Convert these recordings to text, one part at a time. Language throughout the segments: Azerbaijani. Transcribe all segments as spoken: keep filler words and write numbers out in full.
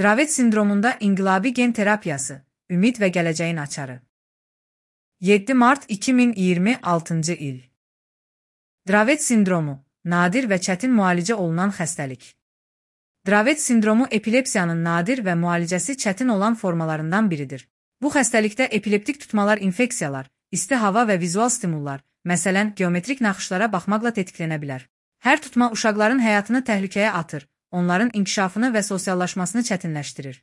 Dravet sindromunda inqilabi gen terapiyası, ümid və gələcəyin açarı. yeddi mart iki min iyirmi altıncı il. Dravet sindromu, nadir və çətin müalicə olunan xəstəlik. Dravet sindromu epilepsiyanın nadir və müalicəsi çətin olan formalarından biridir. Bu xəstəlikdə epileptik tutmalar infeksiyalar, isti hava və vizual stimullar, məsələn, geometrik naxışlara baxmaqla tetiklənə bilər. Hər tutma uşaqların həyatını təhlükəyə atır, onların inkişafını və sosiallaşmasını çətinləşdirir.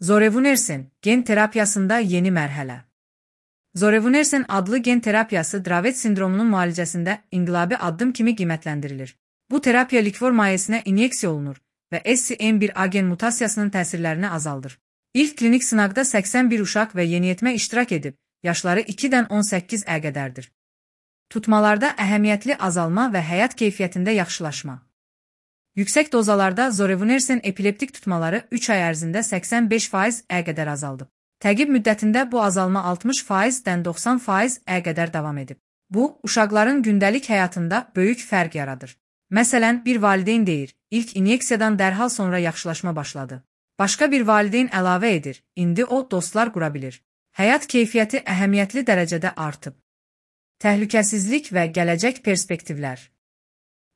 Zorevunersen, gen terapiyasında yeni mərhələ. Zorevunersen adlı gen terapiyası Dravet sindromunun müalicəsində inqilabi addım kimi qiymətləndirilir. Bu terapiya likvor mayesinə inyeksiya olunur və S C M bir A gen mutasiyasının təsirlərini azaldır. İlk klinik sınaqda səksən bir uşaq və yeniyetmə iştirak edib, yaşları ikidən on səkkiz ə qədərdir. Tutmalarda əhəmiyyətli azalma və həyat keyfiyyətində yaxşılaşma. Yüksək dozalarda zorevunersen epileptik tutmaları üç ay ərzində səksən beş faiz ə qədər azaldıb. Təqib müddətində bu azalma altmış faizdən doxsan faiz ə qədər davam edib. Bu, uşaqların gündəlik həyatında böyük fərq yaradır. Məsələn, bir valideyn deyir, ilk inyeksiyadan dərhal sonra yaxşılaşma başladı. Başqa bir valideyn əlavə edir, indi o dostlar qura bilir. Həyat keyfiyyəti əhəmiyyətli dərəcədə artıb. Təhlükəsizlik və gələcək perspektivlər.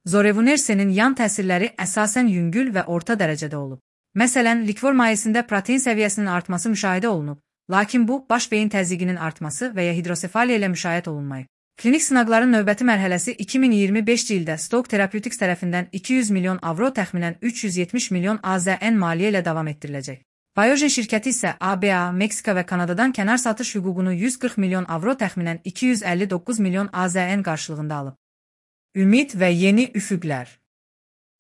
Zorevunersenin yan təsirləri əsasən yüngül və orta dərəcədə olub. Məsələn, likvor mayesində protein səviyyəsinin artması müşahidə olunub, lakin bu, baş beyin təzyiqinin artması və ya hidrosefaliya ilə müşahidə olunmayıb. Klinik sınaqların növbəti mərhələsi iki min iyirmi beşinci ildə Stoke Therapeutics tərəfindən iki yüz milyon avro təxminən üç yüz yetmiş milyon A Z N maliyyə ilə davam etdiriləcək. Biogen şirkəti isə A B A, Meksika və Kanadadan kənar satış hüququnu yüz qırx milyon avro təxminən iki yüz əlli doqquz milyon A Z N qarşılığında alıb. Ümid və yeni üfüqlər.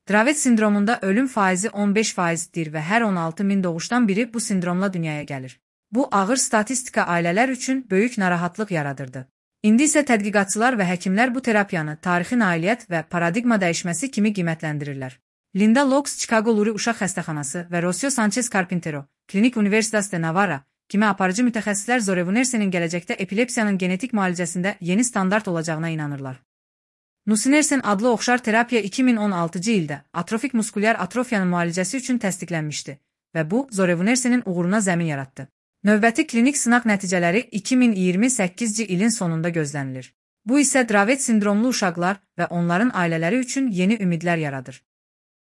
Dravet sindromunda ölüm faizi on beş faizdir və hər on altı min doğuşdan biri bu sindromla dünyaya gəlir. Bu, ağır statistika ailələr üçün böyük narahatlıq yaradırdı. İndi isə tədqiqatçılar və həkimlər bu terapiyanı tarixi nailiyyət və paradigma dəyişməsi kimi qiymətləndirirlər. Linda Locks Chicago Lurie Uşaq Xəstəxanası və Rocio Sanchez Carpintero, Klinik Universitas de Navarra kimi aparıcı mütəxəssislər zorevunersenin gələcəkdə epilepsiyanın genetik müalicəsində yeni standart olacağına inanırlar. Nusinersen adlı oxşar terapiya iki min on altıncı ildə atrofik muskulyar atrofiyanın müalicəsi üçün təsdiqlənmişdi və bu, zorevunersenin uğuruna zəmin yaratdı. Növbəti klinik sınaq nəticələri iki min iyirmi səkkizinci ilin sonunda gözlənilir. Bu isə Dravet sindromlu uşaqlar və onların ailələri üçün yeni ümidlər yaradır.